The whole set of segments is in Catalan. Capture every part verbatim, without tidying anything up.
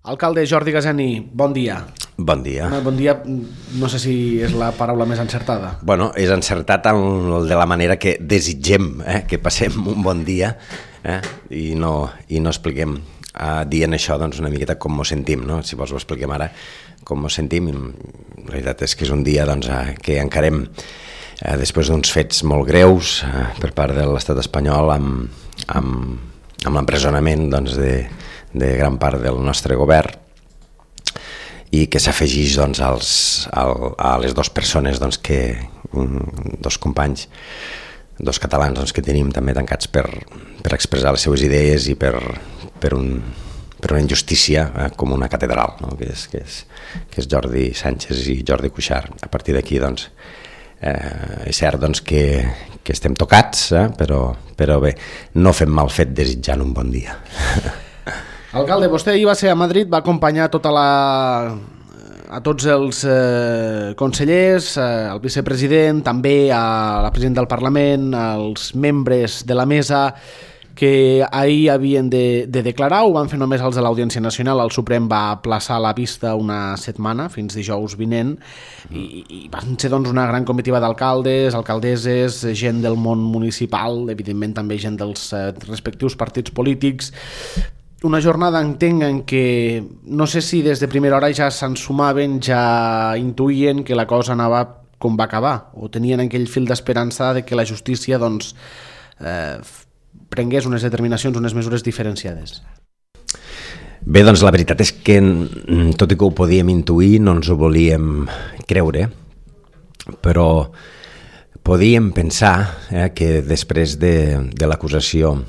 Alcalde Jordi Gaseni, bon dia. Bon dia. Bon dia, no sé si és la paraula més encertada. Bueno, és encertat de la manera que desitgem eh, que passem un bon dia eh, i, no, i no expliquem eh, dient això doncs, una miqueta com mos sentim, no? Si vols ho expliquem ara com mos sentim. La veritat és que és un dia doncs, eh, que encarem eh, després d'uns fets molt greus eh, per part de l'estat espanyol amb, amb, amb l'empresonament doncs, de de gran part del nostre govern i que s'afegeix doncs, als, al, a les dues persones doncs, que, dos companys, dos catalans doncs, que tenim també tancats per, per expressar les seves idees i per, per, un, per una injustícia eh, com una catedral, no? que, és, que, és, que és Jordi Sànchez i Jordi Cuixart. A partir d'aquí doncs, eh, és cert doncs, que, que estem tocats, eh, però, però bé, no fem mal fet desitjant un bon dia. Alcalde, vostè ahir va ser a Madrid, va acompanyar tota la, a tots els eh, consellers, eh, el vicepresident, també a la presidenta del Parlament, als membres de la mesa que ahir havien de, de declarar, ho van fer només els de l'Audiència Nacional. El Suprem va aplaçar la vista una setmana, fins dijous vinent, i, i van ser doncs, una gran comitiva d'alcaldes, alcaldesses, gent del món municipal, evidentment també gent dels eh, respectius partits polítics. Una jornada, entenc, en què no sé si des de primera hora ja se'n sumaven, ja intuïen que la cosa anava com va acabar, o tenien aquell fil d'esperança de que la justícia doncs, eh, prengués unes determinacions, unes mesures diferenciades. Bé, doncs la veritat és que, tot i que ho podíem intuir, no ens ho volíem creure, però podíem pensar eh, que després de, de l'acusació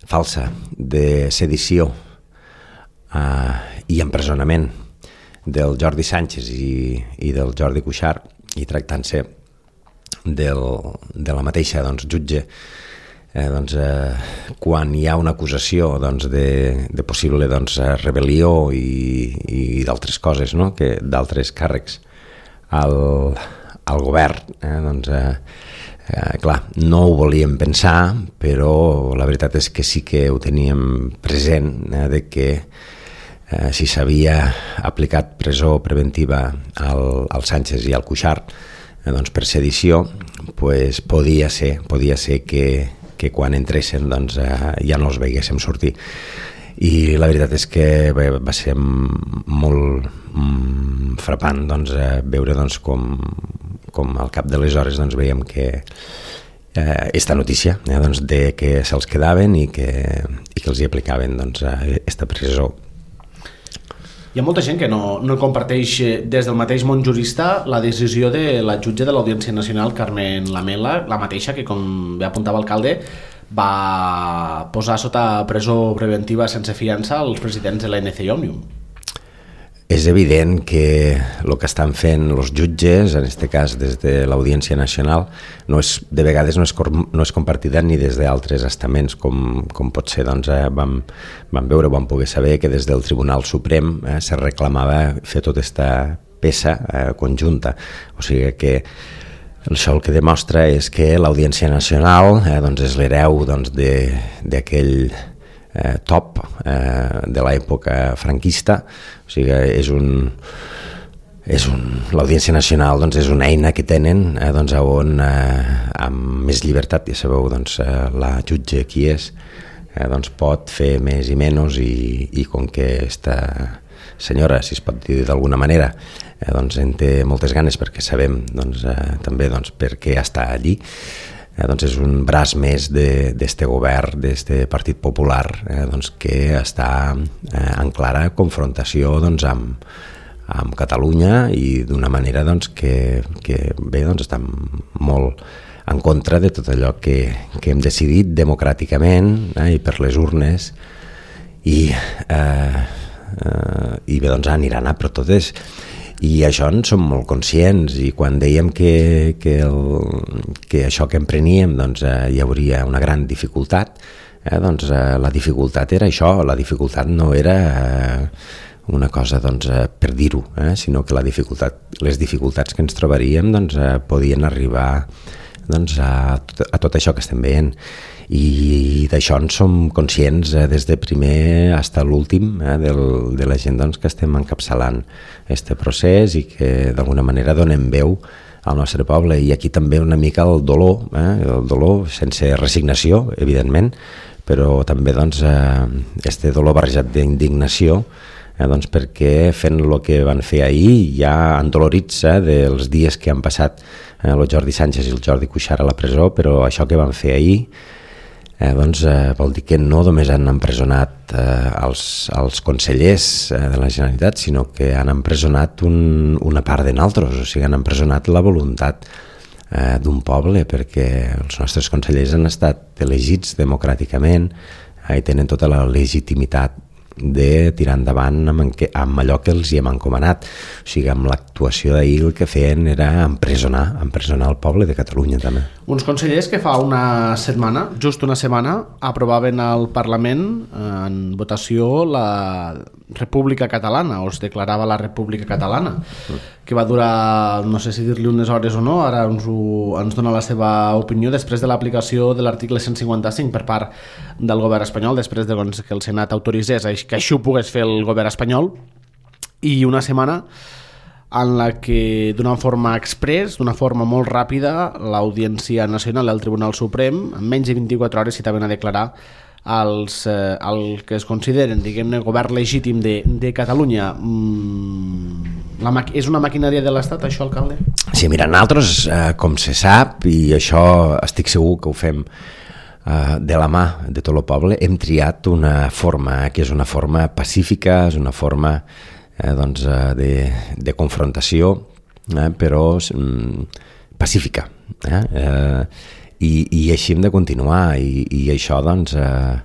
falsa de sedició eh, i empresonament del Jordi Sànchez i, i del Jordi Cuixart, i tractant-se del, de la mateixa doncs, jutge, eh, doncs, eh, quan hi ha una acusació doncs, de, de possible doncs, rebel·lió i, i d'altres coses, no? que d'altres càrrecs al, al govern, eh, doncs, eh, Eh, clar, no ho volíem pensar, però la veritat és que sí que ho teníem present, eh, de que eh, si s'havia aplicat presó preventiva al, al Sánchez i al Cuixart eh, doncs per sedició, pues podia ser, podia ser que, que quan entressin doncs, eh, ja no els veiéssim sortir. I la veritat és que bé, va ser molt mm, frapant doncs, eh, veure doncs, com, com al cap de les hores doncs, veiem que eh, esta notícia eh, doncs, de que se'ls quedaven i que, i que els hi aplicaven doncs, esta presó. Hi ha molta gent que no, no comparteix des del mateix món jurista la decisió de la jutge de l'Audiència Nacional, Carmen Lamela, la mateixa que, com bé apuntava l'alcalde, va posar sota presó preventiva sense fiança els presidents de l'A N C i Òmnium. És evident que el que estan fent els jutges, en aquest cas des de l'Audiència Nacional, no és, de vegades no és, no és compartida ni des d'altres estaments, com, com pot ser, doncs, eh, vam, vam veure, vam poder saber que des del Tribunal Suprem eh, se reclamava fer tota aquesta peça eh, conjunta. O sigui que això el que demostra és que l'Audiència Nacional eh, doncs és l'hereu doncs, d'aquell eh, top eh, de l'època franquista. O sigui, és un, és un, l'Audiència Nacional doncs, és una eina que tenen eh, doncs, on eh, amb més llibertat, ja sabeu, doncs, eh, la jutge qui és, eh, doncs, pot fer més i menys, i, i com que esta senyora, si es pot dir d'alguna manera, eh, doncs en té moltes ganes perquè sabem doncs, eh, també doncs, per què està allí, eh, doncs és un braç més d'este govern, d'este Partit Popular, eh, doncs, que està eh, en clara confrontació doncs, amb, amb Catalunya i d'una manera doncs, que, que bé, doncs, està molt en contra de tot allò que, que hem decidit democràticament eh, i per les urnes, i eh, Uh, i bé, doncs aniran a per totes, i això en som molt conscients, i quan dèiem que, que, el, que això que empreníem doncs, uh, hi hauria una gran dificultat, eh, doncs uh, la dificultat era això, la dificultat no era uh, una cosa doncs, uh, per dir-ho, eh, sinó que la dificultat, les dificultats que ens trobaríem doncs, uh, podien arribar doncs, a, tot, a tot això que estem veient. i d'això en som conscients eh, des de primer fins a l'últim eh, del, de la gent doncs, que estem encapçalant aquest procés i que d'alguna manera donem veu al nostre poble. I aquí també una mica el dolor, eh, el dolor sense resignació, evidentment, però també doncs, eh, este dolor barrejat d'indignació, eh, doncs, perquè fent el que van fer ahir ja endolorits eh, dels dies que han passat eh, el Jordi Sànchez i el Jordi Cuixart a la presó, però això que van fer ahir Eh, doncs, eh, vol dir que no només han empresonat eh, els, els consellers eh, de la Generalitat, sinó que han empresonat un, una part de nosaltres, o sigui, han empresonat la voluntat eh, d'un poble, perquè els nostres consellers han estat elegits democràticament eh, i tenen tota la legitimitat de tirar endavant amb, que, amb allò que els hi hem encomanat. O sigui, amb l'actuació d'ahir el que feien era empresonar, empresonar el poble de Catalunya també. Uns consellers que fa una setmana, just una setmana, aprovaven al Parlament en votació la República Catalana, o es declarava la República Catalana, que va durar, no sé si dir-li unes hores o no, ara ens, ho, ens dona la seva opinió després de l'aplicació de l'article cent cinquanta-cinc per part del govern espanyol, després de doncs, que el Senat autoritzés que això ho pogués fer el govern espanyol, i una setmana en la que d'una forma express, d'una forma molt ràpida, l'Audiència Nacional i el Tribunal Suprem, en menys de vint-i-quatre hores citaven a declarar els, eh, el que es consideren, diguem-ne, govern legítim de, de Catalunya. Mm, la és una maquinària de l'Estat, això, alcalde? Sí, mira, nosaltres, eh, com se sap, i això estic segur que ho fem eh, de la mà de tot el poble, hem triat una forma que és una forma pacífica, és una forma eh, doncs, de, de confrontació, eh, però mm, pacífica. Eh? Eh, i, I així hem de continuar, i, i això doncs, eh,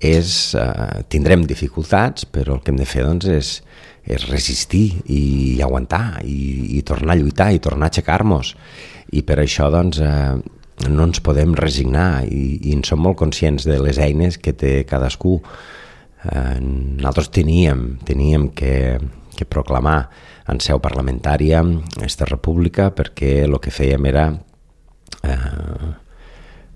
és, eh, tindrem dificultats, però el que hem de fer doncs, és, és resistir i aguantar, i, i tornar a lluitar, i tornar a aixecar-nos. I per això doncs, eh, no ens podem resignar, i, i en som molt conscients de les eines que té cadascú. Eh, nosaltres teníem, teníem que, que proclamar en seu parlamentària aquesta república, perquè el que fèiem era eh,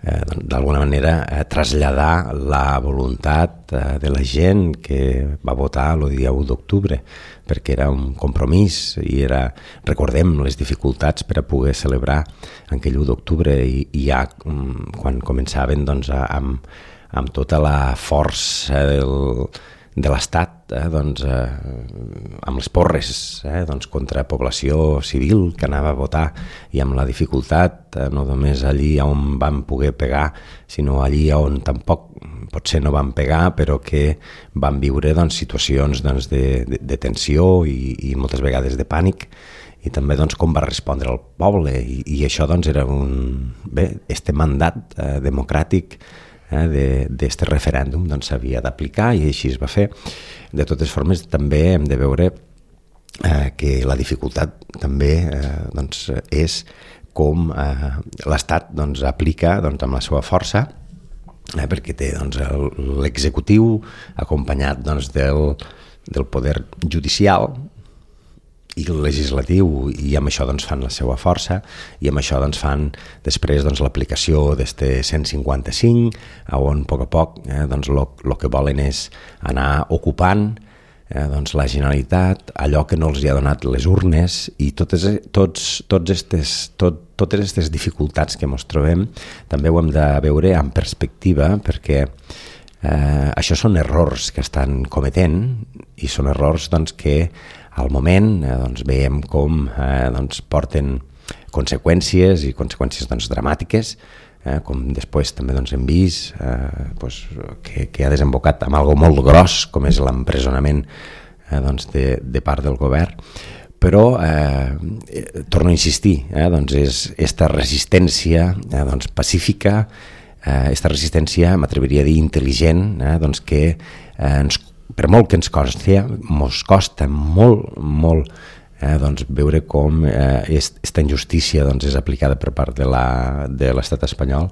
eh, d'alguna manera eh, traslladar la voluntat eh, de la gent que va votar el dia u d'octubre, perquè era un compromís i era, recordem les dificultats per a poder celebrar aquell u d'octubre, i, i ja quan començaven doncs, a, amb, amb tota la força del, de l'Estat, eh, doncs, eh, amb les porres eh, doncs, contra població civil que anava a votar, i amb la dificultat eh, no només allí on van poder pegar, sinó allí on tampoc potser no van pegar, però que van viure doncs, situacions doncs, de, de, de tensió i, i moltes vegades de pànic, i també doncs, com va respondre el poble, i, i això doncs, era un, bé, este mandat eh, democràtic eh, d'aquest referèndum doncs, s'havia d'aplicar, i així es va fer. De totes formes, també hem de veure eh, que la dificultat també eh, doncs, és com eh, l'Estat doncs, aplica doncs, amb la seva força, eh, perquè té doncs, l'executiu acompanyat doncs, del, del poder judicial i el legislatiu, i amb això doncs, fan la seva força, i amb això doncs, fan després doncs, l'aplicació d'este cent cinquanta-cinc, on a poc a poc eh, doncs, el que volen és anar ocupant eh, doncs, la Generalitat, allò que no els hi ha donat les urnes, i totes, tots, tots estes, tot, totes aquestes dificultats que ens trobem també ho hem de veure en perspectiva, perquè eh, això són errors que estan cometent, i són errors doncs, que al moment eh, doncs, veiem com eh, doncs, porten conseqüències, i conseqüències doncs, dramàtiques, eh, com després també doncs, hem vist eh, doncs, que, que ha desembocat amb algo molt gros, com és l'empresonament eh, doncs, de, de part del govern. Però, eh, torno a insistir, eh, doncs és esta resistència eh, doncs, pacífica, eh, esta resistència, m'atreviria a dir, intel·ligent, eh, doncs, que eh, ens per molt que ens costa, ens costa molt, molt eh, doncs, veure com aquesta eh, injustícia doncs, és aplicada per part de, la, de l'estat espanyol,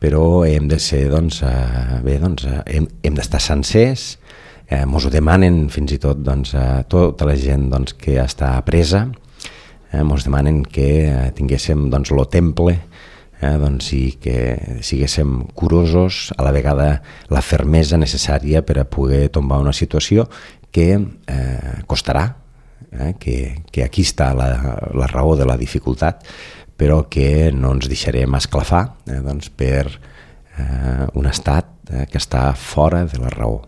però hem de ser, doncs, eh, bé, doncs, eh, hem, hem d'estar sencers, eh, ens ho demanen fins i tot doncs, eh, tota la gent doncs, que està presa, eh, ens demanen que eh, tinguéssim doncs, lo temple eh, doncs, i que siguéssim curosos, a la vegada la fermesa necessària per a poder tombar una situació que eh, costarà, eh, que, que aquí està la, la raó de la dificultat, però que no ens deixarem esclafar eh, doncs, per eh, un estat eh, que està fora de la raó.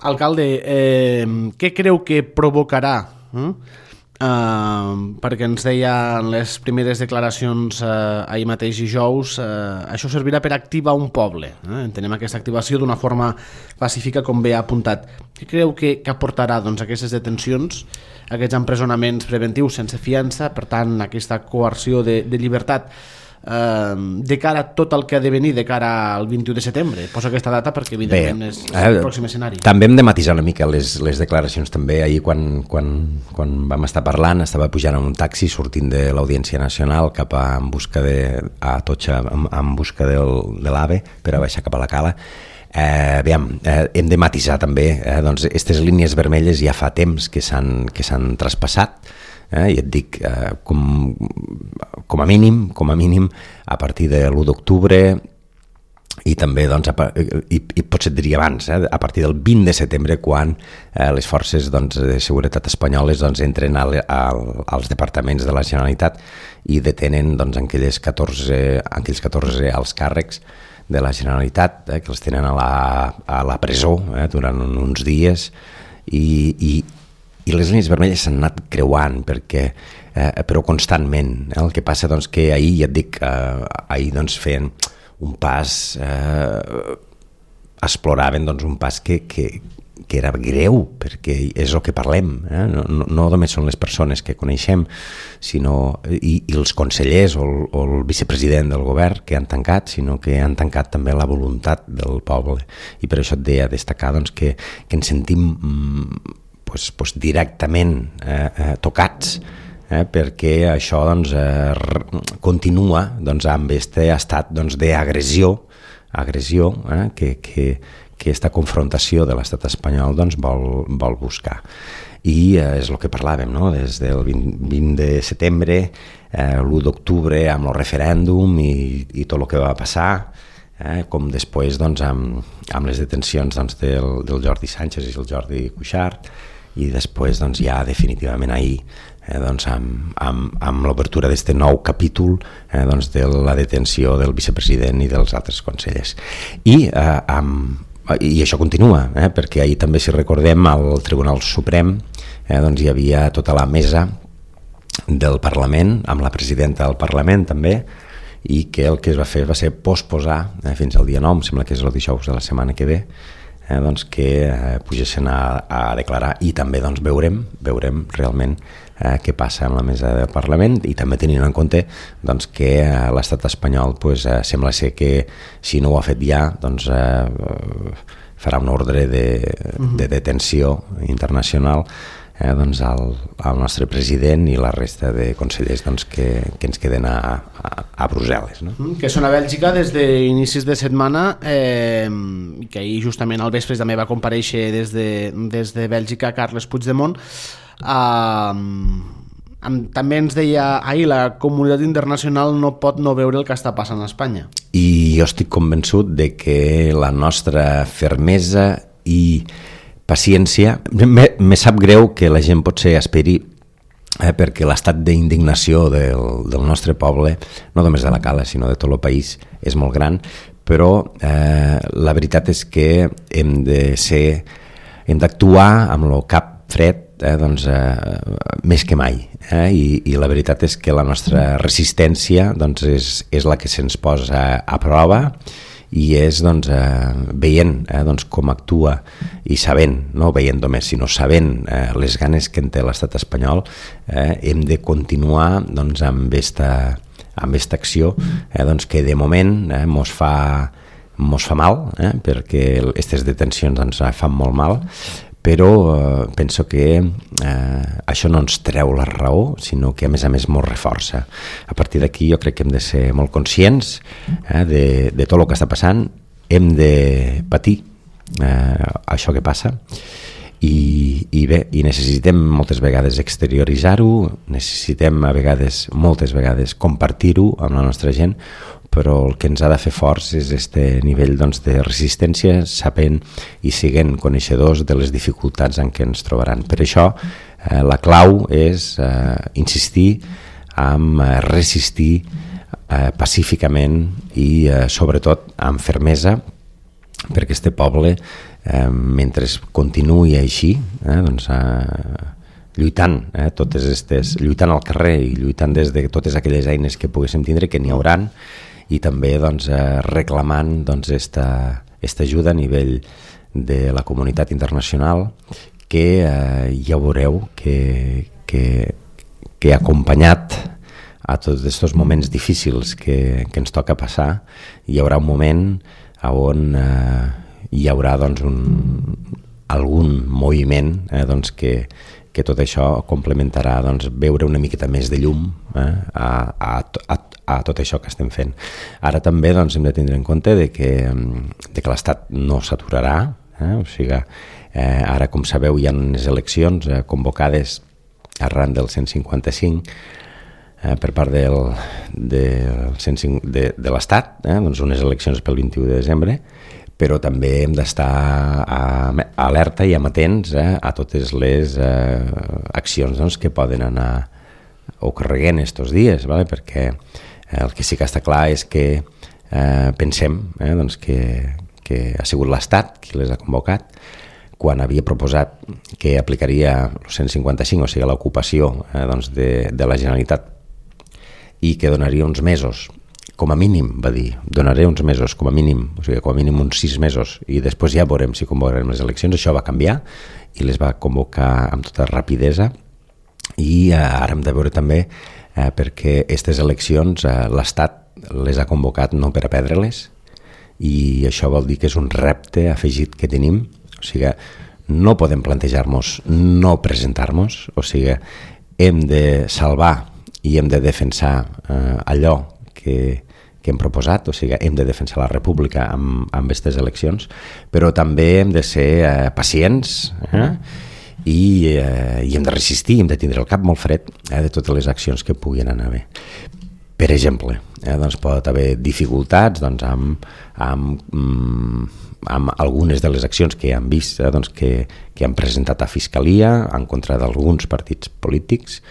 Alcalde, eh, què creu que provocarà? Eh? Uh, perquè ens deia en les primeres declaracions uh, ahir mateix dijous, uh, això servirà per activar un poble, eh? Entenem aquesta activació d'una forma pacífica, com bé ha apuntat. Què creu que, que aportarà doncs, aquestes detencions, aquests empresonaments preventius sense fiança, per tant aquesta coerció de, de llibertat, uh, de cara a tot el que ha de venir de cara al vint-i-u de setembre? Posa aquesta data perquè evidentment Bé, és el eh, pròxim escenari. També hem de matisar una mica les, les declaracions també. Ahir quan, quan, quan vam estar parlant estava pujant en un taxi sortint de l'Audiència Nacional cap a, en busca de, a Totxa en, en busca del, de l'AVE per a baixar cap a la Cala. Eh, aviam, eh, hem de matisar també eh, doncs aquestes línies vermelles ja fa temps que s'han que s'han traspassat. Eh, i et dic, eh, com, com a mínim, com a mínim, a partir de l'u d'octubre i també, doncs, a, i, i potser et diria abans, eh, a partir del vint de setembre, quan eh, les forces doncs, de seguretat espanyoles doncs, entren a, a, als departaments de la Generalitat i detenen doncs, aquelles catorze, aquells catorze alts càrrecs de la Generalitat, eh, que els tenen a la, a la presó eh, durant uns dies i, i i les línies vermelles s'han anat creuant perquè, eh, però constantment. Eh? El que passa doncs, que ahir, ja et dic, eh, ahir doncs, feien un pas, eh, exploraven doncs, un pas que, que, que era greu, perquè és el que parlem. Eh? No, no, no només són les persones que coneixem, sinó i, i els consellers o el, o el vicepresident del govern que han tancat, sinó que han tancat també la voluntat del poble. I per això et deia destacar doncs, que, que ens sentim mm, Pues, pues directament eh, eh, tocats eh, perquè això doncs, eh, continua doncs, amb aquest estat doncs, d'agressió agressió eh, que, que, que aquesta confrontació de l'estat espanyol doncs, vol, vol buscar. I eh, és el que parlàvem, no? Des del vint, vint de setembre, eh, l'u d'octubre amb el referèndum i, i tot el que va passar, eh, com després doncs, amb, amb les detencions doncs, del, del Jordi Sánchez i el Jordi Cuixart, i després doncs, ja definitivament ahir eh, doncs, amb, amb, amb l'obertura d'aquest nou capítol eh, doncs, de la detenció del vicepresident i dels altres consellers. I, eh, amb, i això continua, eh, perquè ahir també, si recordem, al Tribunal Suprem eh, doncs, hi havia tota la mesa del Parlament, amb la presidenta del Parlament també, i que el que es va fer va ser posposar eh, fins al dia nou, em sembla que és el dijous de la setmana que ve, Eh, doncs que eh, pugessin a, a declarar i també doncs, veurem, veurem realment eh, què passa amb la mesa del Parlament i també tenint en compte doncs, que eh, l'estat espanyol pues, eh, sembla ser que si no ho ha fet ja doncs, eh, farà un ordre de, de detenció internacional eh, doncs, al, al nostre president i la resta de consellers doncs, que, que ens queden a, a, a Brussel·les. No? Que són a Bèlgica des d'inicis de setmana eh, i que ahir justament al vespre també va comparèixer des de, des de Bèlgica Carles Puigdemont. Eh, també ens deia ahir la comunitat internacional no pot no veure el que està passant a Espanya. I jo estic convençut de que la nostra fermesa i paciència, me, me sap greu que la gent potser esperi eh, perquè l'estat d'indignació del, del nostre poble, no només de la Cala sinó de tot el país, és molt gran, però eh, la veritat és que hem de ser hem d'actuar amb el cap fred eh, doncs, eh, més que mai eh? I, i la veritat és que la nostra resistència doncs, és, és la que se'ns posa a prova i és doncs, eh, veient eh, doncs, com actua i sabent, no veient només, sinó sabent eh, les ganes que en té l'estat espanyol, eh, hem de continuar doncs, amb esta, amb esta acció eh, doncs, que de moment eh, mos fa mos fa mal, eh, perquè aquestes detencions ens fan molt mal, però eh, penso que eh, això no ens treu la raó, sinó que a més a més mos reforça. A partir d'aquí jo crec que hem de ser molt conscients eh, de, de tot el que està passant, hem de patir eh, això que passa I, i bé, i necessitem moltes vegades exterioritzar-ho, necessitem a vegades, moltes vegades, compartir-ho amb la nostra gent, però el que ens ha de fer forts és este nivell doncs, de resistència, sapent i siguent coneixedors de les dificultats en què ens trobaran. Per això eh, la clau és eh, insistir en eh, resistir eh, pacíficament i eh, sobretot amb fermesa, perquè este poble, eh, mentre continuï així, eh, doncs, eh, lluitant, eh, totes estes, lluitant al carrer i lluitant des de totes aquelles eines que poguéssim tindre, que n'hi hauran, i també doncs, eh, reclamant doncs, esta, esta ajuda a nivell de la comunitat internacional, que eh, ja veureu que, que, que ha acompanyat a tots aquests moments difícils que, que ens toca passar. Hi haurà un moment on eh, hi haurà doncs, un, algun moviment eh, doncs, que, que tot això complementarà doncs, veure una miqueta més de llum eh, a, a, a, a tot això que estem fent. Ara també doncs, hem de tindre en compte de que, de que l'Estat no s'aturarà, eh, o sigui, eh, ara com sabeu hi ha unes eleccions eh, convocades arran del cent cinquanta-cinc eh, per part del, del cent cinc, de, de l'Estat, eh, doncs unes eleccions pel vint-i-u de desembre, però també hem d'estar alerta i amatents eh, a totes les eh, accions doncs, que poden anar ocorreguent estos dies, vale? Perquè el que sí que està clar és que eh, pensem eh, doncs que, que ha sigut l'Estat qui les ha convocat, quan havia proposat que aplicaria el cent cinquanta-cinc, o sigui l'ocupació eh, doncs de, de la Generalitat, i que donaria uns mesos, com a mínim, va dir, donaré uns mesos, com a mínim, o sigui, com a mínim uns sis mesos, i després ja veurem si convocarem les eleccions. Això va canviar i les va convocar amb tota rapidesa, i eh, ara hem de veure també eh, perquè aquestes eleccions eh, l'Estat les ha convocat no per a perdre-les, i això vol dir que és un repte afegit que tenim. O sigui, no podem plantejar-nos no presentar-nos, o sigui, hem de salvar i hem de defensar eh, allò que, que hem proposat, o sigui, hem de defensar la república amb, amb aquestes eleccions, però també hem de ser eh, pacients eh? I, eh, i hem de resistir, hem de tindre el cap molt fred eh, de totes les accions que puguin anar bé. Per exemple, eh, doncs pot haver dificultats doncs, amb, amb, amb algunes de les accions que hem vist eh, doncs, que, que han presentat a Fiscalia en contra d'alguns partits polítics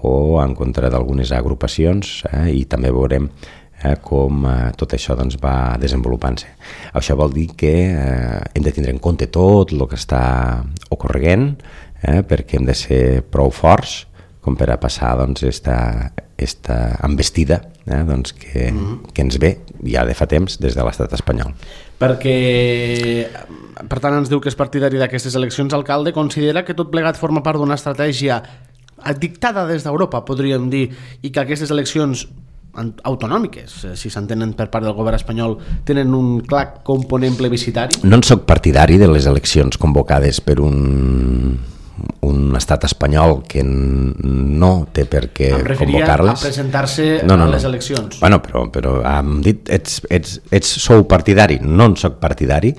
o en contra d'algunes agrupacions eh, i també veurem eh, com eh, tot això doncs, va desenvolupant-se. Això vol dir que eh, hem de tindre en compte tot el que està ocorrent eh, perquè hem de ser prou forts com per a passar doncs, esta, esta embestida eh, doncs, que, mm-hmm. que ens ve ja de fa temps des de l'estat espanyol. Perquè, per tant, ens diu que és partidari d'aquestes eleccions. Alcalde, considera que tot plegat forma part d'una estratègia dictada des d'Europa, podríem dir, i que aquestes eleccions autonòmiques, si s'entenen per part del govern espanyol, tenen un clar component plebiscitari? No en soc partidari de les eleccions convocades per un, un estat espanyol que no té per què convocar-les. A presentar-se no, no, a les no. eleccions. Bueno, però, però hem dit, ets, ets, ets sou partidari, no en soc partidari,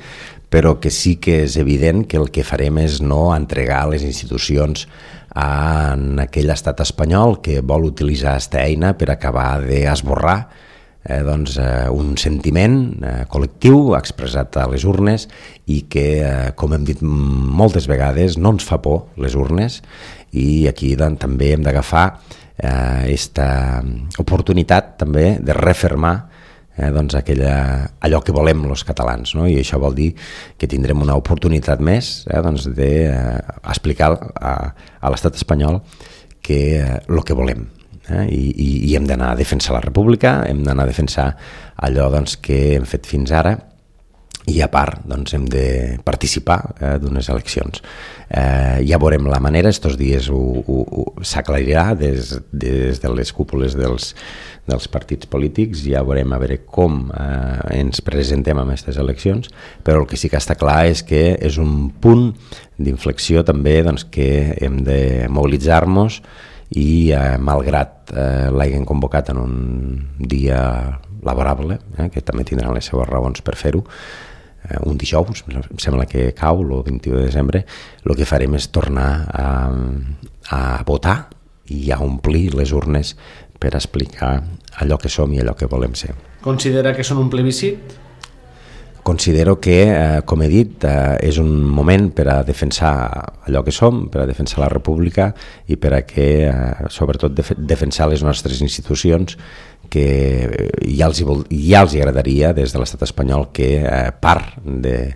però que sí que és evident que el que farem és no entregar les institucions en aquell estat espanyol que vol utilitzar aquesta eina per acabar d'esborrar eh, doncs, eh, un sentiment eh, col·lectiu expressat a les urnes i que, eh, com hem dit moltes vegades, no ens fa por les urnes, i aquí doncs, també hem d'agafar aquesta eh, oportunitat també de refermar Eh, doncs aquella, allò que volem els catalans, no? I això vol dir que tindrem una oportunitat més eh, doncs d'explicar eh, a, a l'estat espanyol que eh, el que volem eh? I, i, i hem d'anar a defensar la república, hem d'anar a defensar allò doncs, que hem fet fins ara, i a part doncs, hem de participar eh, d'unes eleccions. Eh, ja veurem la manera, estos dies s'aclarirà des, des de les cúpules dels, dels partits polítics, ja veurem a veure com eh, ens presentem amb aquestes eleccions, però el que sí que està clar és que és un punt d'inflexió també doncs, que hem de mobilitzar-nos i eh, malgrat eh, l'hagin convocat en un dia laborable, eh, que també tindran les seves raons per fer-ho, un dijous, em sembla que cau, el vint-i-u de desembre, el que farem és tornar a, a votar i a omplir les urnes per explicar allò que som i allò que volem ser. Considera que són un plebiscit? Considero que, eh, com he dit, eh, és un moment per a defensar allò que som, per a defensar la república i per a que, eh, sobretot, def- defensar les nostres institucions, que ja els, hi vol, ja els hi agradaria des de l'estat espanyol que eh, part de,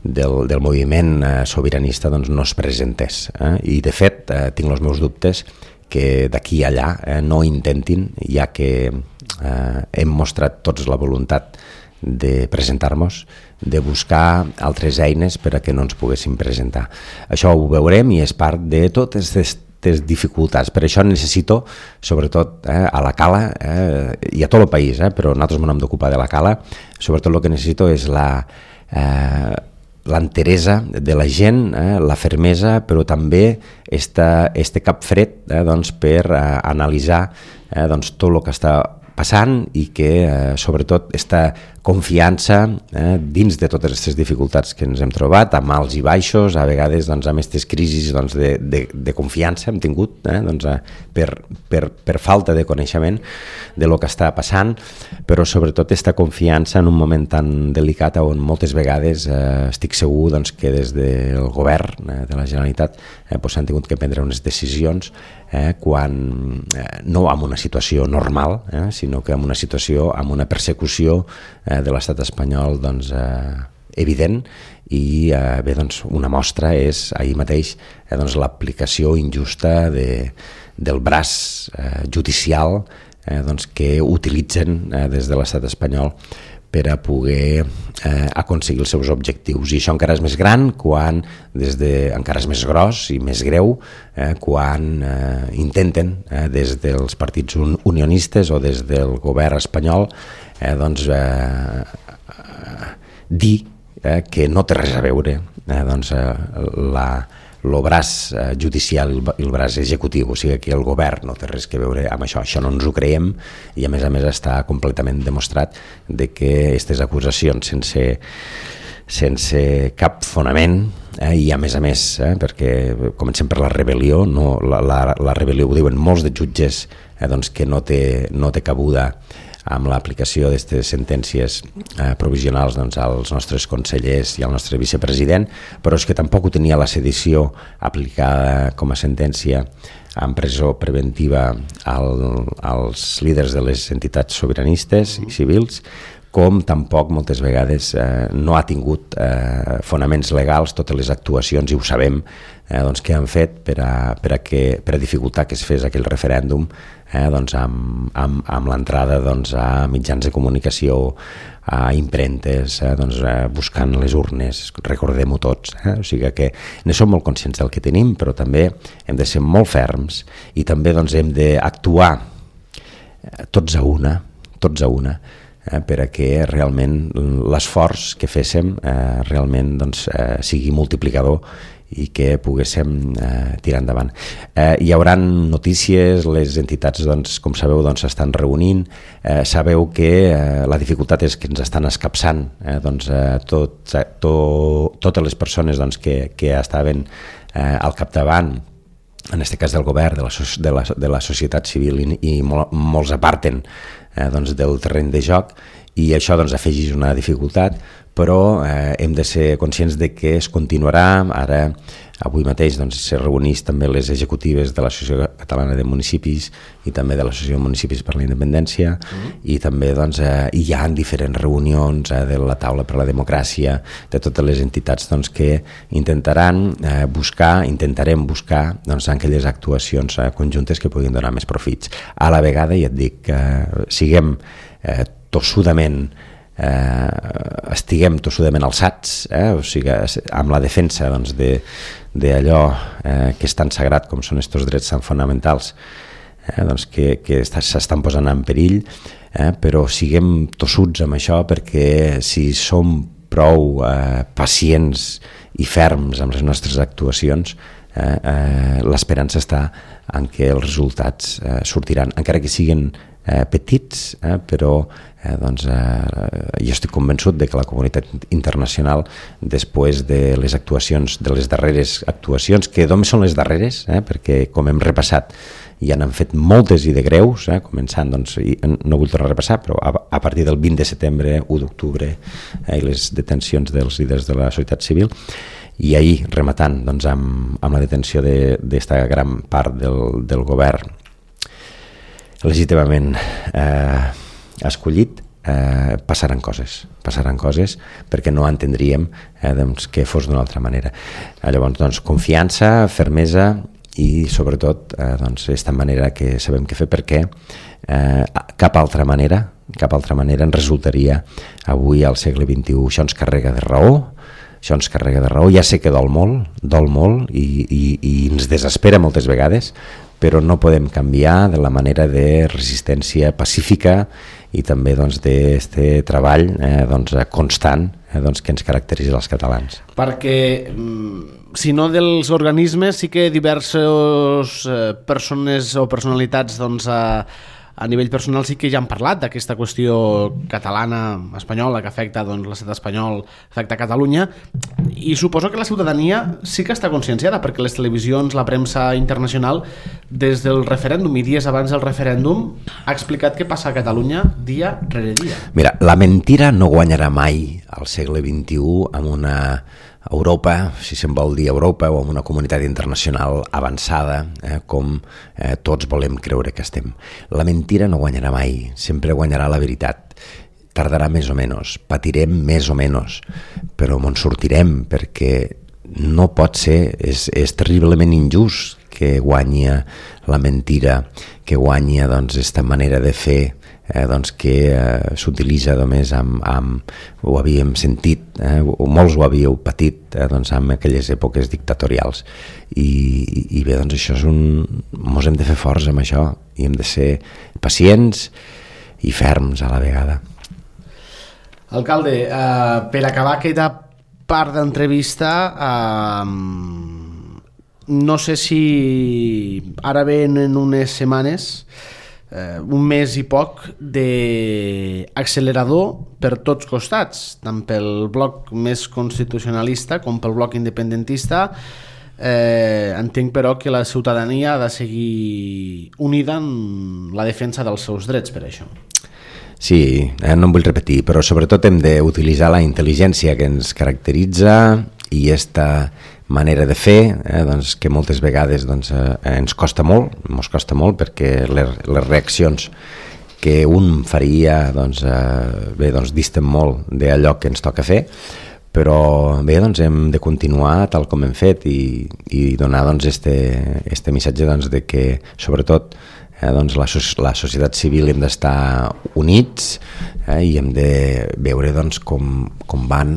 del, del moviment eh, sobiranista doncs, no es presentés. Eh? I, de fet, eh, tinc els meus dubtes que d'aquí a allà eh, no intentin, ja que eh, hem mostrat tots la voluntat de presentar-nos, de buscar altres eines per a que no ens poguéssim presentar. Això ho veurem i és part de totes aquestes dificultats. Per això necessito, sobretot eh, a la Cala eh, i a tot el país, eh, però nosaltres m'hem d'ocupar de la Cala, sobretot el que necessito és la... Eh, l'enteresa de la gent, eh, la fermesa, però també esta, este cap fred eh, doncs, per eh, analitzar eh, doncs, tot el que està passant i que, eh, sobretot, esta confiança eh, dins de totes aquestes dificultats que ens hem trobat, amb alts i baixos, a vegades doncs, amb aquestes crisis doncs, de, de, de confiança hem tingut eh, doncs, eh, per, per, per falta de coneixement de lo que està passant, però sobretot aquesta confiança en un moment tan delicat on moltes vegades eh, estic segur doncs, que des del govern eh, de la Generalitat eh, doncs, s'han tingut que prendre unes decisions eh, quan eh, no en una situació normal, eh, sinó que en una situació, amb una persecució eh, de l'estat espanyol doncs, eh, evident i eh, bé, doncs, una mostra és ahir mateix eh, doncs, l'aplicació injusta de, del braç eh, judicial eh, doncs, que utilitzen eh, des de l'estat espanyol per a poder eh, aconseguir els seus objectius. I això encara és més gran quan, des de, encara és més gros i més greu, eh, quan eh, intenten, eh, des dels partits unionistes o des del govern espanyol, eh, doncs, eh, eh, dir eh, que no té res a veure eh, doncs, eh, la el braç eh, judicial i el braç executiu, o sigui que el govern no té res a veure amb això, això no ens ho creiem i a més a més està completament demostrat de que aquestes acusacions sense, sense cap fonament eh, i a més a més, eh, perquè comencem per la rebel·lió, no, la, la, la rebel·lió ho diuen molts de jutges eh, doncs que no té, no té cabuda amb l'aplicació d'aquestes sentències eh, provisionals doncs, als nostres consellers i al nostre vicepresident, però és que tampoc ho tenia la sedició aplicada com a sentència en presó preventiva al, als líders de les entitats sobiranistes i civils, com tampoc moltes vegades eh, no ha tingut eh, fonaments legals totes les actuacions, i ho sabem, eh, doncs, que han fet per a, per a, que, per a dificultar que es fes aquell referèndum eh, doncs, amb, amb, amb l'entrada doncs, a mitjans de comunicació, a impremtes, eh, doncs, eh, buscant les urnes, recordem-ho tots. Eh? O sigui que ne som molt conscients del que tenim, però també hem de ser molt ferms i també doncs, hem d'actuar tots a una, tots a una, Eh, per a que realment l'esforç que féssim eh, realment doncs, eh, sigui multiplicador i que poguéssim eh, tirar endavant. Eh, hi haurà notícies, les entitats, doncs, com sabeu, doncs, s'estan reunint, eh, sabeu que eh, la dificultat és que ens estan escapçant eh, doncs, eh, tot, to, totes les persones doncs, que, que estaven eh, al capdavant, en aquest cas del govern, de la, de la, de la societat civil, i, i mol, molts aparten eh, doncs, del terreny de joc, i això doncs, afegeix una dificultat, però eh, hem de ser conscients de que es continuarà. Ara, avui mateix, doncs, se reuneix també les executives de l'Associació Catalana de Municipis i també de l'Associació de Municipis per la Independència, mm. i també doncs, eh, hi ha diferents reunions eh, de la taula per la democràcia, de totes les entitats doncs, que intentaran eh, buscar, intentarem buscar doncs, aquelles actuacions eh, conjuntes que puguin donar més profits. A la vegada, ja et dic, que eh, siguem eh, tossudament Eh, estiguem tossudament alçats, eh? O sigui, amb la defensa doncs, de, d'allò eh, que és tan sagrat com són aquests drets tan fonamentals eh, doncs, que, que s'estan posant en perill, eh, però siguem tossuts amb això, perquè si som prou eh, pacients i ferms amb les nostres actuacions, eh, eh, l'esperança està en què els resultats eh, sortiran, encara que siguin eh, petits, eh, però eh, doncs, eh, jo estic convençut de que la comunitat internacional, després de les actuacions, de les darreres actuacions, que només són les darreres, eh, perquè com hem repassat, ja n'han fet moltes i de greus, eh, començant, doncs, i no vull tornar a repassar, però a, a partir del vint de setembre, u d'octubre, eh, i les detencions dels líders de la societat civil, i ahir rematant doncs, amb, amb la detenció d'esta de, gran part del, del govern legítimament eh, escollit, eh, passaran coses, passaran coses perquè no entendríem eh, doncs, que fos d'una altra manera. Eh, llavors, doncs, confiança, fermesa i sobretot eh, doncs, esta manera que sabem què fer, perquè eh, cap altra manera cap altra manera ens resultaria avui al segle vint-i-u. Això ens carrega de raó, això ens carrega de raó, ja sé que dol molt, dol molt i, i, i ens desespera moltes vegades, però no podem canviar de la manera de resistència pacífica i també doncs, d'aquest treball eh, doncs, constant eh, doncs, que ens caracteritza els catalans. Perquè, si no dels organismes, sí que diverses eh, persones o personalitats doncs, a, a nivell personal sí que ja han parlat d'aquesta qüestió catalana, espanyola, que afecta doncs, l'estat espanyol, afecta Catalunya, i suposo que la ciutadania sí que està conscienciada, perquè les televisions, la premsa internacional, des del referèndum i dies abans del referèndum, ha explicat què passa a Catalunya dia rere dia. Mira, la mentira no guanyarà mai al segle vint-i-u amb una Europa, si se'n vol dir Europa, o amb una comunitat internacional avançada, eh, com eh, tots volem creure que estem. La mentira no guanyarà mai, sempre guanyarà la veritat. Tardarà més o menys, patirem més o menys, però me'n sortirem, perquè no pot ser, és, és terriblement injust que guanyi la mentira, que guanyi doncs, esta manera de fer, eh, doncs, que eh, s'utilitza només amb, amb, ho havíem sentit, eh, o molts ho havíeu patit eh, doncs, amb aquelles èpoques dictatorials. I, i, i bé, doncs això és un... Mos hem de fer forts amb això, i hem de ser pacients i ferms a la vegada. Alcalde, eh, per acabar aquesta part d'entrevista, eh, no sé si ara ven en unes setmanes, eh, un mes i poc, d'accelerador per tots costats, tant pel bloc més constitucionalista com pel bloc independentista. Eh, entenc però que la ciutadania ha de seguir unida en la defensa dels seus drets per això. Sí, eh, no em vull repetir, però sobretot hem d'utilitzar la intel·ligència que ens caracteritza i esta manera de fer, eh, doncs, que moltes vegades doncs, eh, ens costa molt, ens costa molt perquè les, les reaccions que un faria doncs, eh, bé, doncs, disten molt d'allò que ens toca fer, però bé, doncs, hem de continuar tal com hem fet i, i donar doncs, este, este missatge doncs, de que sobretot Eh, doncs la, la societat civil hem d'estar units eh, i hem de veure doncs, com, com van,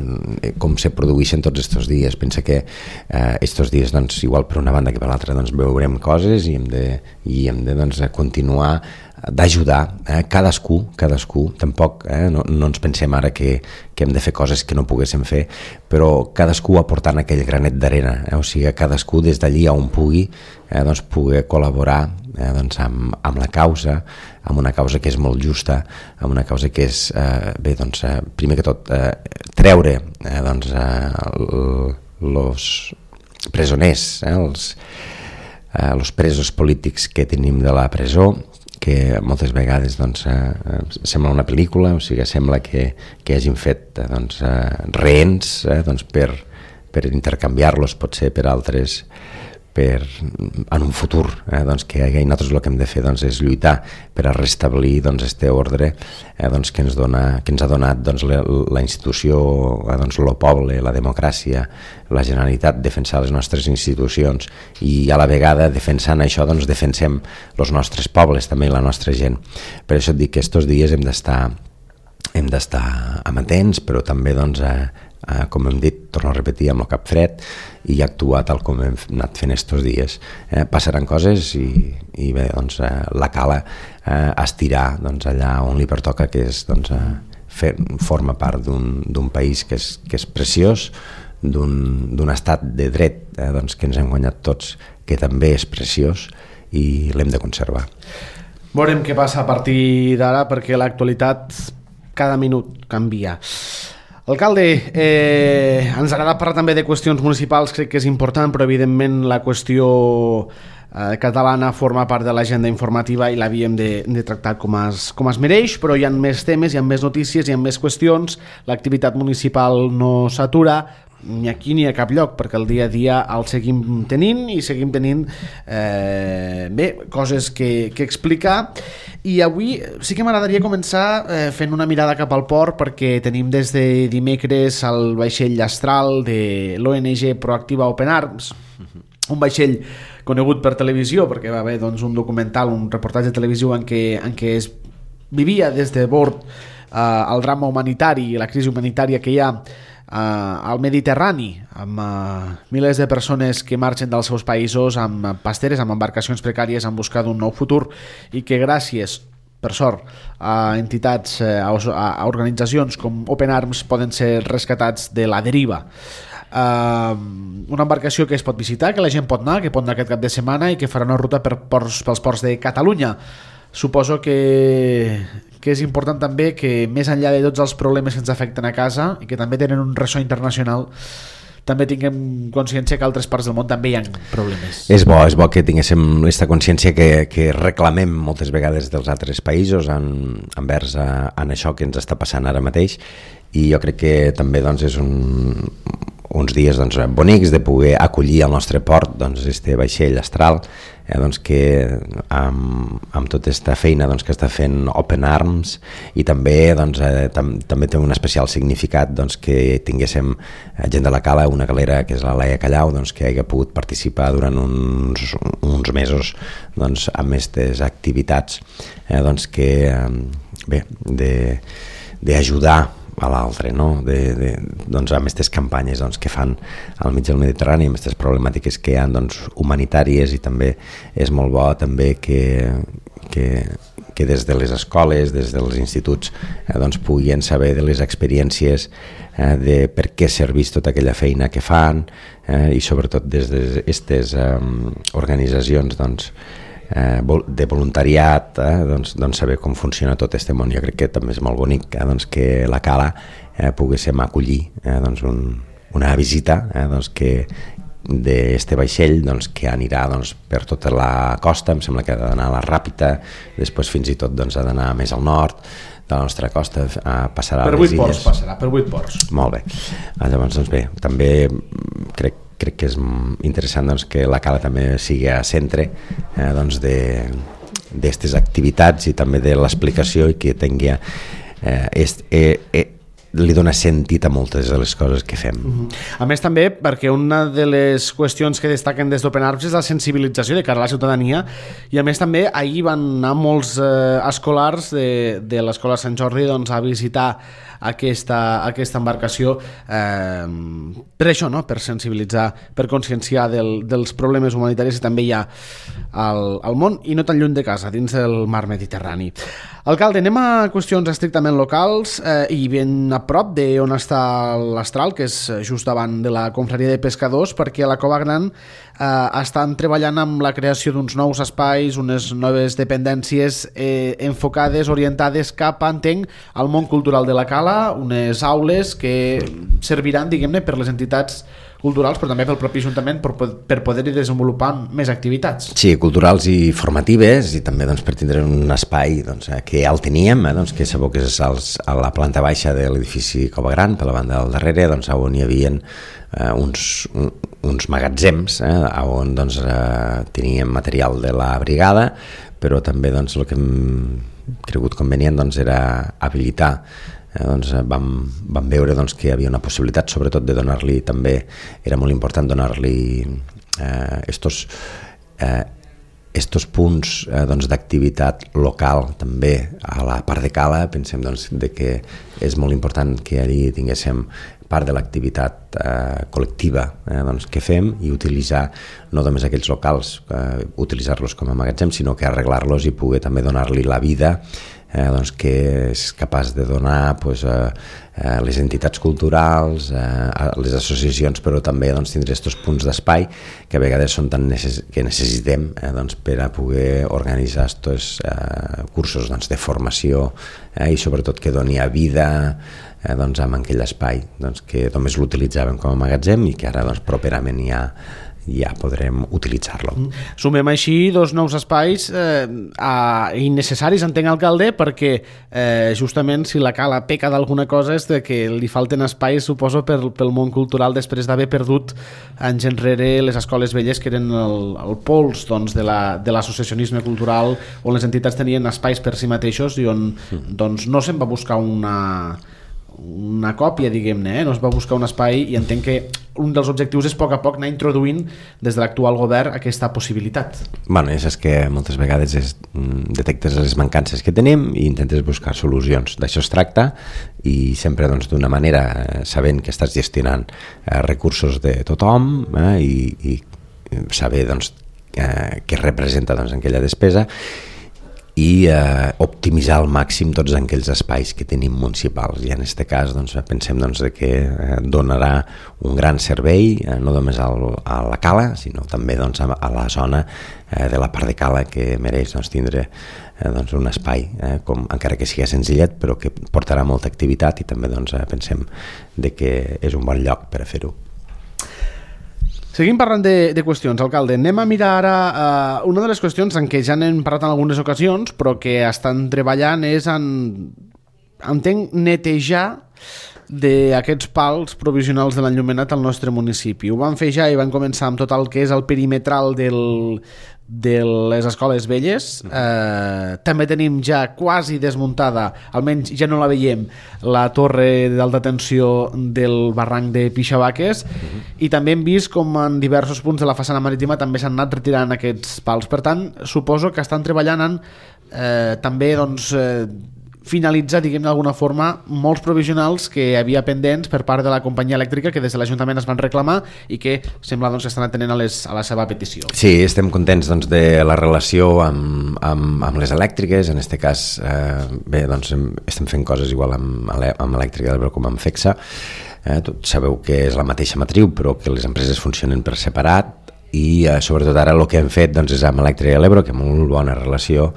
com se produeixen tots aquests dies. Pensa que aquests eh, dies, doncs, igual per una banda que per l'altra, doncs, veurem coses i hem de, i hem de doncs, continuar d'ajudar eh, cadascú, cadascú, tampoc eh, no, no ens pensem ara que, que hem de fer coses que no poguéssim fer, però cadascú aportant aquell granet d'arena, eh, o sigui, cadascú des d'allí on pugui eh, doncs, pugui col·laborar eh, doncs, amb, amb la causa, amb una causa que és molt justa, amb una causa que és, eh, bé, doncs, eh, primer que tot, eh, treure eh, doncs, eh, els presoners, eh, els, eh, els presos polítics que tenim de la presó, que moltes vegades doncs, eh, sembla una pel·lícula, o sigui, sembla que, que hagin fet eh, doncs, eh, rehens eh, doncs, per, per intercanviar-los potser per altres, per, en un futur, eh, doncs, que nosaltres el que hem de fer doncs, és lluitar per a restablir doncs, este ordre eh, doncs, que, ens dona, que ens ha donat doncs, la, la institució, eh, doncs, el poble, la democràcia, la Generalitat, defensar les nostres institucions i a la vegada defensant això doncs, defensem els nostres pobles, també la nostra gent. Per això et dic que aquests dies hem d'estar hem d'estar amatents, però també doncs, eh, eh, com hem dit, torno a repetir, amb el cap fred i actuar tal com hem anat fent aquests dies. Eh, passaran coses i, i bé, doncs, eh, la cala eh, estirar doncs, allà on li pertoca, que és doncs, eh, fer, forma part d'un país que és, que és preciós, d'un estat de dret eh, doncs, que ens hem guanyat tots, que també és preciós i l'hem de conservar. Veurem què passa a partir d'ara, perquè l'actualitat cada minut canvia. Alcalde, eh, ens agrada parlar també de qüestions municipals, crec que és important, però evidentment la qüestió eh, catalana forma part de l'agenda informativa i l'havíem de, de tractar com es, com es mereix, però hi ha més temes, hi ha més notícies, hi ha més qüestions, l'activitat municipal no s'atura, ni aquí ni a cap lloc, perquè el dia a dia el seguim tenint i seguim tenint eh, bé, coses que, que explicar. I avui sí que m'agradaria començar eh, fent una mirada cap al port, perquè tenim des de dimecres el vaixell Astral de l'O N G Proactiva Open Arms, un vaixell conegut per televisió perquè va haver doncs, un documental, un reportatge televisiu en què, en què es vivia des de bord eh, el drama humanitari i la crisi humanitària que hi ha Uh, al Mediterrani, amb uh, milers de persones que marxen dels seus països amb pasteres, amb embarcacions precàries en busca d'un nou futur, i que gràcies, per sort, a entitats, a, a organitzacions com Open Arms poden ser rescatats de la deriva. Uh, una embarcació que es pot visitar, que la gent pot anar, que pot anar aquest cap de setmana i que farà una ruta per ports, pels ports de Catalunya. Suposo que, que és important també que més enllà de tots els problemes que ens afecten a casa i que també tenen un ressò internacional, també tinguem consciència que a altres parts del món també hi ha problemes. És bo, és bo que tinguéssim aquesta consciència que, que reclamem moltes vegades dels altres països en, envers a, en això que ens està passant ara mateix, i jo crec que també doncs, és un, uns dies doncs, bonics de poder acollir al nostre port doncs, este vaixell Astral, eh, doncs, que amb, amb tota aquesta feina doncs, que està fent Open Arms, i també, doncs, eh, tam, també té un especial significat doncs, que tinguéssim gent de la Cala, una galera que és la Laia Callau, doncs, que hagi pogut participar durant uns, uns mesos doncs, amb aquestes activitats eh, doncs, que bé, de, d'ajudar a l'altre, no? de, de, doncs, amb aquestes campanyes doncs, que fan al mig del Mediterrani, amb aquestes problemàtiques que hi ha doncs, humanitàries, i també és molt bo també que, que, que des de les escoles, des dels instituts, eh, doncs, puguin saber de les experiències eh, de per què serveix tota aquella feina que fan, eh, i sobretot des d'aquestes eh, organitzacions doncs, Eh, de voluntariat, eh, doncs, doncs saber com funciona tot este món. Jo crec que també és molt bonic eh, doncs que la Cala eh, poguéssim acollir eh, doncs un, una visita eh, doncs que d'este vaixell doncs, que anirà doncs, per tota la costa, em sembla que ha d'anar a la Ràpita, després fins i tot doncs, ha d'anar més al nord de la nostra costa, eh, passarà per a les illes. Per vuit ports passarà, per vuit ports. Molt bé. Llavors, doncs bé, també crec crec que és interessant doncs, que la Cala també sigui a centre eh, doncs de d'aquestes activitats i també de l'explicació, i que tingui eh, est, eh, eh, li dona sentit a moltes de les coses que fem. Uh-huh. A més també perquè una de les qüestions que destaquen des d'Open Arms és la sensibilització de cara a la ciutadania, i a més també ahir van anar molts eh, escolars de, de l'Escola Sant Jordi doncs, a visitar aquesta, aquesta embarcació eh, per això, no? Per sensibilitzar, per conscienciar del, dels problemes humanitaris que també hi ha al, al món, i no tan lluny de casa, dins del mar Mediterrani. Alcalde, anem a qüestions estrictament locals eh, i ben a prop d'on està l'Astral, que és just davant de la confraria de pescadors, perquè a la Cova Gran eh, estan treballant amb la creació d'uns nous espais, unes noves dependències eh, enfocades, orientades cap, entenc, al món cultural de la Cala, unes aules que serviran, diguem-ne, per les entitats culturals, però també pel propi Ajuntament per, per poder-hi desenvolupar més activitats. Sí, culturals i formatives, i també doncs, per tindre un espai doncs, que ja el teníem, eh, doncs, que sabeu que és als, a la planta baixa de l'edifici Cova Gran, per la banda del darrere, doncs, on hi havia eh, uns, un, uns magatzems eh, on doncs, eh, teníem material de la brigada, però també doncs, el que hem cregut convenient doncs, era habilitar. Eh, doncs, vam, vam veure doncs, que hi havia una possibilitat, sobretot de donar-li també, era molt important donar-li eh, estos, eh, estos punts eh, doncs, d'activitat local també a la part de Cala. Pensem doncs, de que és molt important que allí tinguéssim part de l'activitat propietat eh, col·lectiva eh, doncs, que fem i utilitzar no només aquells locals, eh, utilitzar-los com a magatzem, sinó que arreglar-los i poder també donar-li la vida eh, doncs, que és capaç de donar pues, a, a les entitats culturals, a, a les associacions, però també doncs, tindre aquests punts d'espai que a vegades són tan necess que necessitem eh, doncs, per a poder organitzar aquests eh, cursos doncs, de formació eh, i sobretot que doni a vida eh, doncs, amb aquell espai doncs, que només l'utilitzàvem com a magatzem i que ara doncs, properament ja ja podrem utilitzar-lo. Sumem així dos nous espais eh, a, innecessaris, entenc, alcalde, perquè eh, justament si la cala peca d'alguna cosa és de que li falten espais, suposo, per, pel món cultural després d'haver perdut anys enrere les escoles velles que eren el, el pols doncs, de l'associacionisme la, cultural on les entitats tenien espais per si mateixos i on doncs, no se'n va buscar una una còpia, diguem-ne, eh? No es va buscar un espai i entenc que un dels objectius és a poc a poc anar introduint des de l'actual govern aquesta possibilitat. Bueno, és que moltes vegades és, detectes les mancances que tenim i intentes buscar solucions. D'això es tracta i sempre doncs, d'una manera sabent que estàs gestionant eh, recursos de tothom eh, i, i saber doncs, eh, què representa doncs, aquella despesa i eh, optimitzar al màxim tots aquells espais que tenim municipals i en aquest cas doncs, pensem doncs, que eh, donarà un gran servei eh, no només al, a la cala sinó també doncs, a, a la zona eh, de la part de cala que mereix doncs, tindre eh, doncs, un espai eh, com, encara que sigui senzillet però que portarà molta activitat i també doncs, eh, pensem de que és un bon lloc per a fer-ho. Seguim parlant de, de qüestions, alcalde. Anem a mirar ara uh, una de les qüestions en què ja n'hem parlat en algunes ocasions, però que estan treballant és en, entenc, netejar d'aquests pals provisionals de l'enllumenat al nostre municipi. Ho van fer ja i van començar amb tot el que és el perimetral del, de les escoles velles. Eh, també tenim ja quasi desmuntada, almenys ja no la veiem, la torre d'alta tensió del barranc de Pixabaques uh-huh. i també hem vist com en diversos punts de la façana marítima també s'han anat retirant aquests pals. Per tant, suposo que estan treballant en eh, també doncs, eh, finalitzar, diguem d'alguna forma, molts provisionals que havia pendents per part de la companyia elèctrica que des de l'Ajuntament es van reclamar i que sembla doncs, que estan atenent a, les, a la seva petició. Sí, estem contents doncs, de la relació amb, amb, amb les elèctriques, en aquest cas eh, bé, doncs, estem fent coses igual amb, amb Elèctrica de l'Ebre com amb FECSA. Eh, tot, sabeu que és la mateixa matriu però que les empreses funcionen per separat i eh, sobretot ara el que hem fet doncs, és amb Elèctrica de l'Ebre, que amb molt bona relació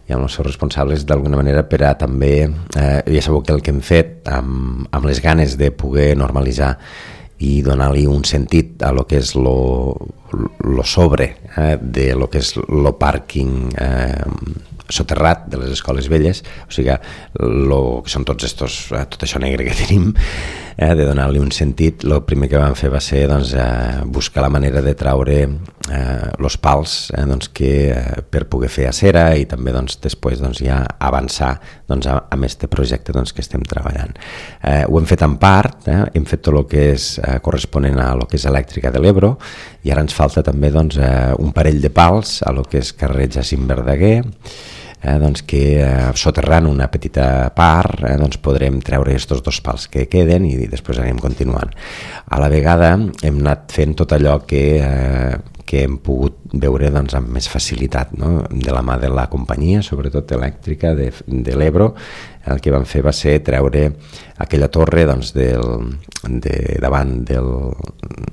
i amb els seus responsables d'alguna manera per a també, eh, ja sabeu que el que hem fet amb, amb les ganes de poder normalitzar i donar-li un sentit a lo que és lo, lo sobre eh, de lo que és lo pàrquing eh, soterrat de les escoles velles, o sigui lo, que són tots estos, eh, tot això negre que tenim, eh, de donar-li un sentit. El primer que vam fer va ser doncs, eh, buscar la manera de traure eh, los pals eh, doncs, que, eh, per poder fer acera i també doncs, després doncs, ja avançar doncs, amb aquest projecte doncs, que estem treballant. Eh, ho hem fet en part, eh, hem fet tot el que és eh, corresponent a lo que és Elèctrica de l'Ebre i ara ens falta també doncs, eh, un parell de pals a lo que és carrer Jacint Verdaguer, Eh, doncs que eh, soterrant una petita part eh, doncs podrem treure aquests dos pals que queden i després anem continuant. A la vegada hem anat fent tot allò que, eh, que hem pogut veure doncs, amb més facilitat, no? De la mà de la companyia, sobretot elèctrica de, de l'Ebre. El que vam fer va ser treure aquella torre doncs, del, de, davant del,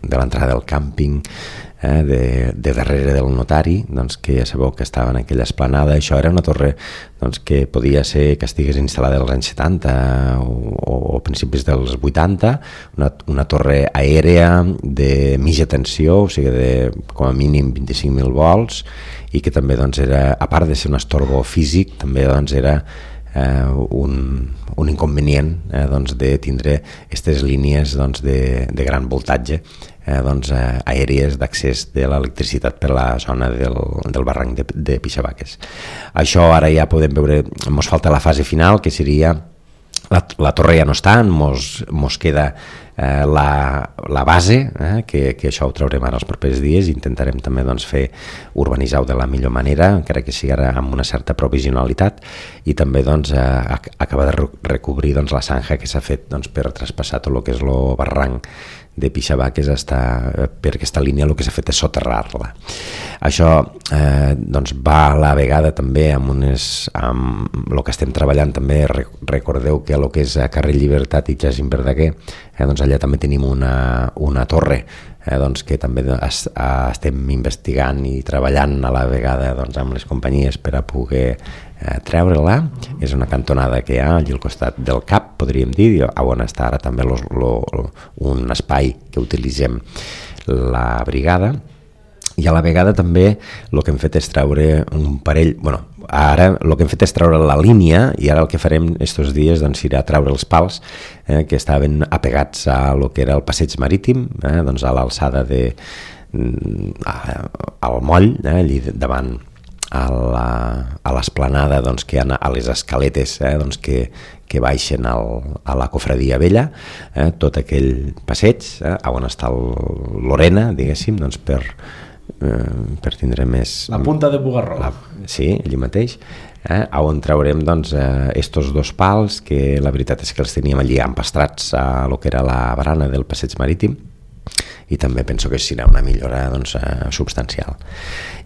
de l'entrada del càmping eh, de, de darrere del notari, doncs, que ja sabeu que estava en aquella esplanada. Això era una torre doncs, que podia ser que estigués instal·lada als anys setanta o, o principis dels vuitanta, una, una torre aèrea de mitja tensió, o sigui de com a mínim vint-i-cinc mil volts, i que també doncs, era, a part de ser un estorbo físic, també doncs, era Eh, un, un inconvenient eh, doncs, de tindre aquestes línies doncs, de, de gran voltatge eh, doncs, eh, aèries d'accés de l'electricitat per la zona del, del barranc de, de Pixabaques. Això ara ja podem veure, ens falta la fase final, que seria la, la torre ja no està, mos, mos queda eh, la, la base, eh, que, que això ho traurem ara els propers dies, i intentarem també doncs, fer urbanitzar-ho de la millor manera, encara que sigui ara amb una certa provisionalitat, i també doncs, eh, acabar de recobrir doncs, la zanja que s'ha fet doncs, per traspassar tot el que és el barranc de Pixabaques, està, per aquesta línia el que s'ha fet és soterrar-la. Això eh, doncs va a la vegada també amb unes, amb el que estem treballant també. Recordeu que el que és a carrer Llibertat i Jacint Verdaguer, eh, doncs allà també tenim una, una torre eh, doncs que també es, estem investigant i treballant a la vegada doncs, amb les companyies per a poder eh, treure-la. És una cantonada que hi ha allà al costat del C A P, podríem dir, on està ara també lo, lo, un espai que utilitzem la brigada. I a la vegada també el que hem fet és treure un parell, bueno, ara el que hem fet és treure la línia, i ara el que farem estos dies doncs, serà treure els pals eh, que estaven apegats a lo que era el passeig marítim, eh, doncs a l'alçada de a, al moll, eh, allí davant a la, a l'esplanada doncs, que hi ha a les escaletes eh, doncs, que, que baixen al, a la cofradia vella, eh, tot aquell passeig eh, on està el Lorena, diguéssim, doncs per Eh, per tindre més... La punta de Bugarró. La, sí, allí mateix, eh, on traurem doncs, eh, estos dos pals, que la veritat és que els teníem allí empastrats a lo que era la barana del passeig marítim, i també penso que serà una millora doncs, eh, substancial.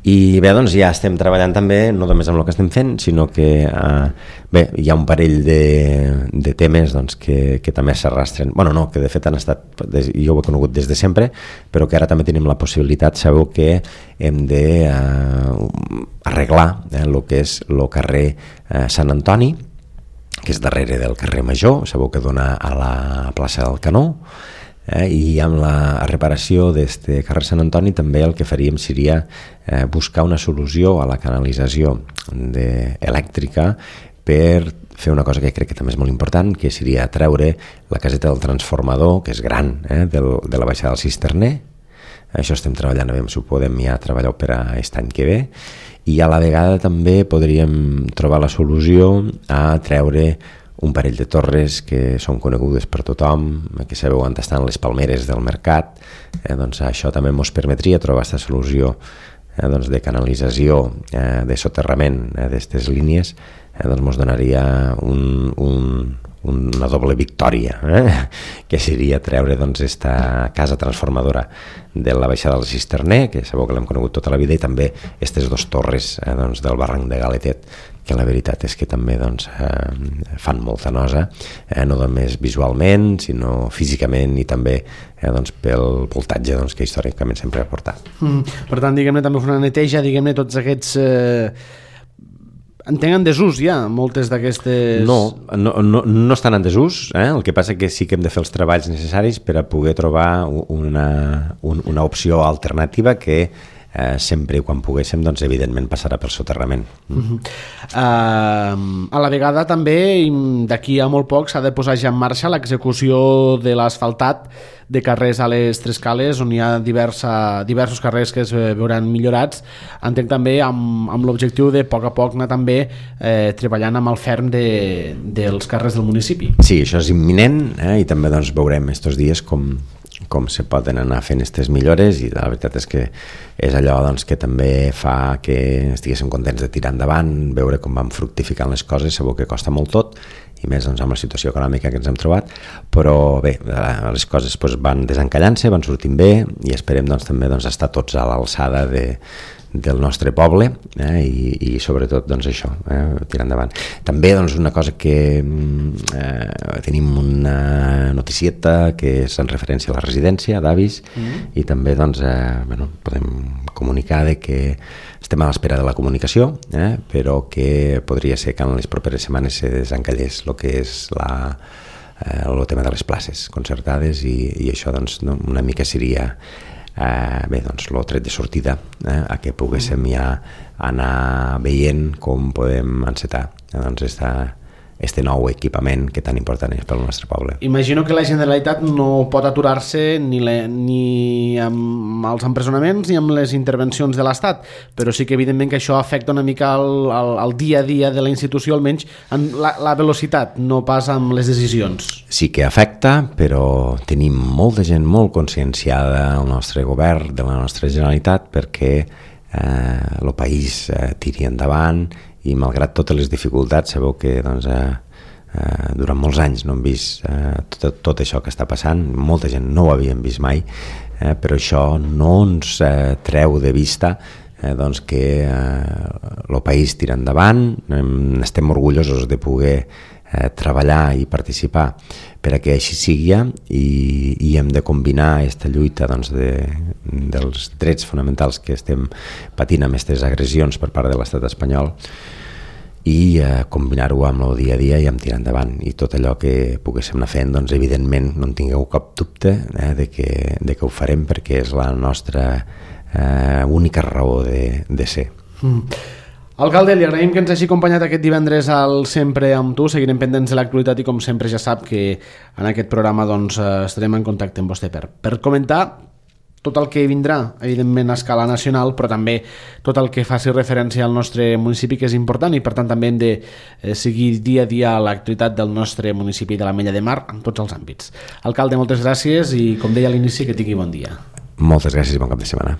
I bé, doncs ja estem treballant també, no només amb el que estem fent, sinó que eh, bé, hi ha un parell de, de temes doncs, que, que també s'arrastren, bueno, no, que de fet han estat, jo ho he conegut des de sempre, però que ara també tenim la possibilitat. Sabeu que hem de eh, arreglar eh, el que és el carrer eh, Sant Antoni, que és darrere del carrer Major, sabeu que dona a la plaça del Canó. Eh, i amb la reparació d'este carrer Sant Antoni també el que faríem seria eh, buscar una solució a la canalització de, elèctrica per fer una cosa que crec que també és molt important, que seria treure la caseta del transformador, que és gran, eh, del, de la baixada del Cisterner. Això estem treballant, a veure si ho podem ja treballar per a aquest any que ve, i a la vegada també podríem trobar la solució a treure un parell de torres que són conegudes per tothom, que sabeu on estan les palmeres del mercat, eh, doncs això també ens permetria trobar aquesta solució eh, doncs de canalització, eh, de soterrament eh, d'aquestes línies, eh, doncs ens donaria un, un, una doble victòria, eh? que seria treure doncs esta casa transformadora de la baixada del Cisterner, que sabeu que l'hem conegut tota la vida, i també aquestes dues torres eh, doncs, del barranc de Galetet, que la veritat és que també doncs, eh, fan molta nosa, eh, no només visualment, sinó físicament, i també eh, doncs, pel voltatge doncs, que històricament sempre ha portat. Mm, per tant, diguem-ne, també fer una neteja, diguem-ne, tots aquests... Eh... entenc en desús ja, moltes d'aquestes... No, no, no, no estan en desús, eh? El que passa que sí que hem de fer els treballs necessaris per a poder trobar una, un, una opció alternativa que eh, sempre quan poguéssim, doncs evidentment passarà pel soterrament. Mm. Uh-huh. Uh, a la vegada també, d'aquí a molt poc, s'ha de posar ja en marxa l'execució de l'asfaltat de carrers a les Tres Cales, on hi ha diversa, diversos carrers que es veuran millorats. Entenc també amb, amb l'objectiu de a poc a poc anar també eh, treballant amb el ferm de, dels carrers del municipi. Sí, això és imminent, eh? I també doncs, veurem estos dies com, com se poden anar fent aquestes millores, i la veritat és que és allò doncs, que també fa que estiguéssim contents de tirar endavant, veure com van fructificant les coses. Sabeu que costa molt tot, i més doncs, amb la situació econòmica que ens hem trobat, però bé, les coses doncs, van desencallant-se, van sortint bé, i esperem doncs, també doncs, estar tots a l'alçada de, del nostre poble, eh, i, i sobretot doncs, això, eh, tirar endavant. També doncs, una cosa que eh, tenim una noticieta que és en referència a la residència d'avis, mm. i també doncs, eh, bueno, podem comunicar de que estem a l'espera de la comunicació, eh, però que podria ser que en les properes setmanes se desencallés el que és la, eh, el tema de les places concertades, i, i això doncs, no, una mica seria eh, bé, doncs, el tret de sortida eh, a que poguéssim ja anar veient com podem encetar eh, doncs, esta, este nou equipament que tan important és pel nostre poble. Imagino que la Generalitat no pot aturar-se ni, le, ni amb els empresonaments ni amb les intervencions de l'Estat, però sí que evidentment que això afecta una mica el, el, el dia a dia de la institució, almenys en la, la velocitat, no pas amb les decisions. Sí que afecta, però tenim molta gent molt conscienciada al nostre govern, de la nostra Generalitat, perquè eh, el país eh, tiri endavant i malgrat totes les dificultats sabeu que doncs, eh, eh, durant molts anys no hem vist eh, tot, tot això que està passant, molta gent no ho havíem vist mai, eh, però això no ens eh, treu de vista eh, doncs que el eh, país tira endavant, eh, estem orgullosos de poder eh, treballar i participar per a que així sigui i, i hem de combinar aquesta lluita doncs, de, dels drets fonamentals que estem patint amb aquestes agressions per part de l'estat espanyol i eh, combinar-ho amb el dia a dia i amb tirar endavant. I tot allò que poguéssim anar fent, doncs evidentment no en tingueu cap dubte eh, de, que, de que ho farem perquè és la nostra eh, única raó de, de ser. Mm. Alcalde, li agraïm que ens hagi acompanyat aquest divendres al Sempre amb tu, seguirem pendents de l'actualitat i com sempre ja sap que en aquest programa doncs, estarem en contacte amb vostè per, per comentar tot el que vindrà, evidentment a escala nacional, però també tot el que faci referència al nostre municipi, que és important, i per tant també hem de eh, seguir dia a dia l'actualitat del nostre municipi de l'Ametlla de Mar en tots els àmbits. Alcalde, moltes gràcies i com deia a l'inici, que tingui bon dia. Moltes gràcies i bon cap de setmana.